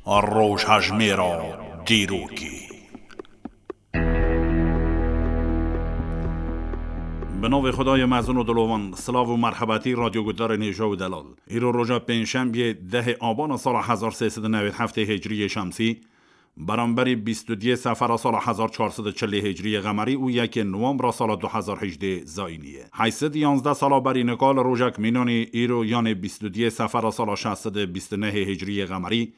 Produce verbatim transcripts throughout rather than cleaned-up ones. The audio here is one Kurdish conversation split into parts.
Rojhejmêra dîrokê. Bi navê Xwedayê mezin û dilovan, silav û merhebetî radyo guhdarên hêja û delal. Îro roja pêncşembiyê dehê abana sala hezar sê sed û newêd heftê hicriyê şemsî, beramberî bîst û duyê sefera sala hezar çar sed û çilê hicriyê qemerî û yekê nowembra sala du hezar hejdê zayînî ye. Heyt sed yanzdeh sala berî nika li rojek mînanî îro, yanê bîst û duyê sefera sala şeş sed û bîst û nehê hicriyê qemerî,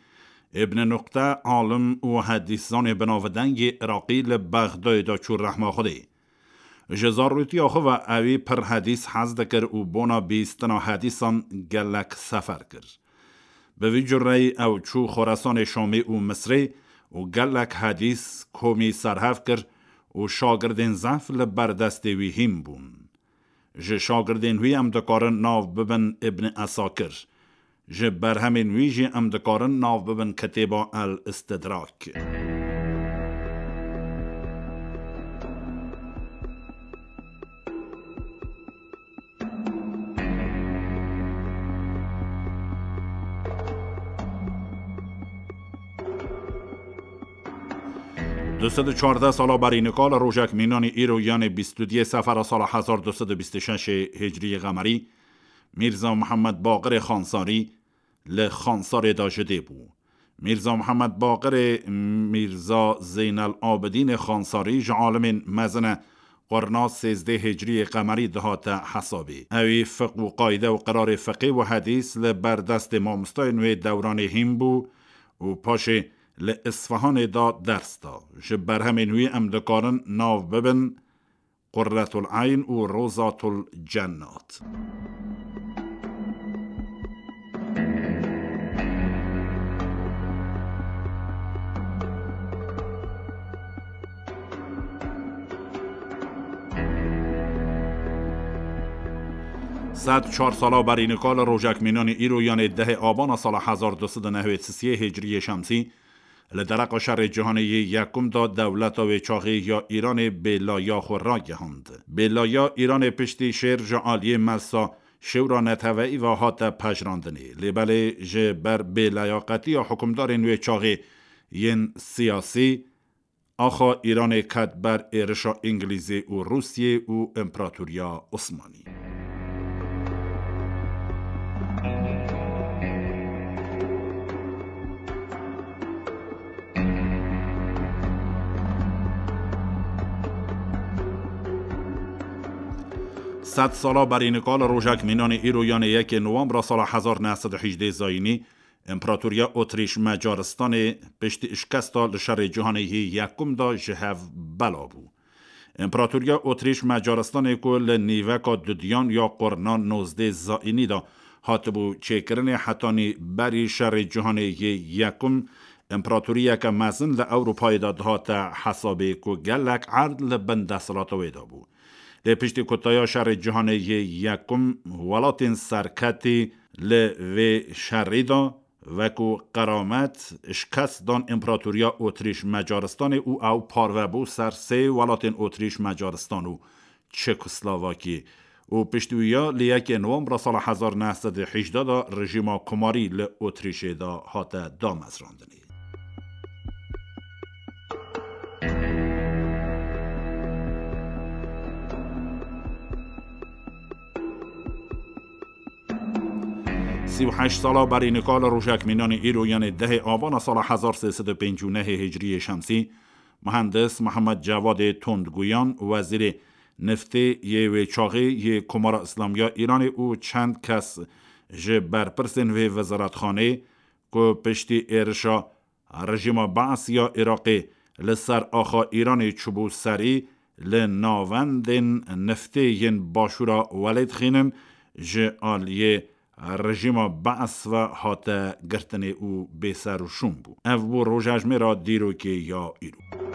Îbn Nuqte, alim û hedîszanê binavdengê Iraqî, li Bexdayê de çû rehma Xwedê. Ji zarûtiya xwe ve ewî pir hedîs hez dikir û bona bîstina hedîsan gelek sefer kir. Bi vî cureyî ew çû Xoresanê Şamê û Misrê û gelek hedîs komî serhev kir û şagirdên zehf li ber destê wî hîn bûn. Ji şagirdên wî em dikarin nav bibin Îbn Esakir. Ji berhemên wî jî em dikarin nav bibin kitêba El Istidrak. Du sed û çardeh sala berî nika li rojek mînanî îro, yanê bîst û duyê sefera sala hezar du sed û bîst û şeş hicriyê qemerî, Mîrza Mihemed Baqirê Xansarî li Xansarê de ji dê bû. Mîrza Mihemed Baqirê Mîrza Zeynel Abidînê Xansarî ji alimên mezin e, qurna sêzdeh hicriyê qemerî dihate hesabê. Ewî fiq û qayde û qirarê fiqê û hedîs li ber destê mamostayên wê dewranê hîn bû û paşê li Isfahanê de ders da. Ji berhemên wî em dikarin nav bibin Qurretul Eyn û Rozatul Cennat. Sed çar sala berî nika li rojek mînanî îro, yanê dehê abana sala hezar du sed û nehwêd sisiyê hicriyê şemsî, li dereqa şerê cîhanê yê yekum de dewleta wê çaxê ya Îranê bêlaya xwe ragihand. Bêlaya Îranê piştî şêr ji aliyê Melsa Şêwra Neteweyî ve hate pejirandinê. Lê belê ji ber bêleyaqetiya hukimdarên wê çaxê yên siyasî, axa Îranê ket ber êrişa Îngilîzê û Rûsiyê û Împaratoriya Osmanî. Sed sala berî nika li rojek mînanê îro, yanê yekê nowembra sala hezar neh sed û hejdê zayînî, Împaratoriya Otrîş Macaristanê piştî şikesta li şerê cîhanê yê yekum de ji hev bela bû. Împaratoriya Otrîş Macaristanê ku li nîveka dudiyan ya qurna nozdeh zayînî de hatibû çêkirinê, hetanî berî şerê cîhanê yê yekum împaratoriyeke mezin li Ewropayê de dihate hesabê ku gelek erd li bin desthilata wê de bû. Lê piştî kutaya şerê cîhanê yê yekum, welatên serketî li vê şerî de wekû qeramet şikest dan Împaratoriya Otrîş Macaristanê û ew parve bû ser sê welatên Otrîş Macaristan û Çekoslovakî û piştî wî ya li yekê Nowembra sala hezar neh sed û hejdeh de rejîma komarî li Otrîşê de hate damezrandinê. Sî û heşt sala berî nika li rojek mînanê îro, yanê dehê Abana sala hezar sê sed û pêncî û nehê hicriyê şemsî, muhendis Mihemed Cevadê Tondguyan, wezîrê niftê yê wê çaxê yê Komara Îslamiya Îranê û çend kes ji berpirsên vê wezeretxanê ku piştî êrişa rejîma Baas ya Iraqê li ser axa Îranê çûbû serî, li navendên niftê yên başûra welê dixînin, ji aliyê rejîma Baas ve hate girtinê û bêserûşûn bû. Ev bû rojejmêra dîrokê ya îro.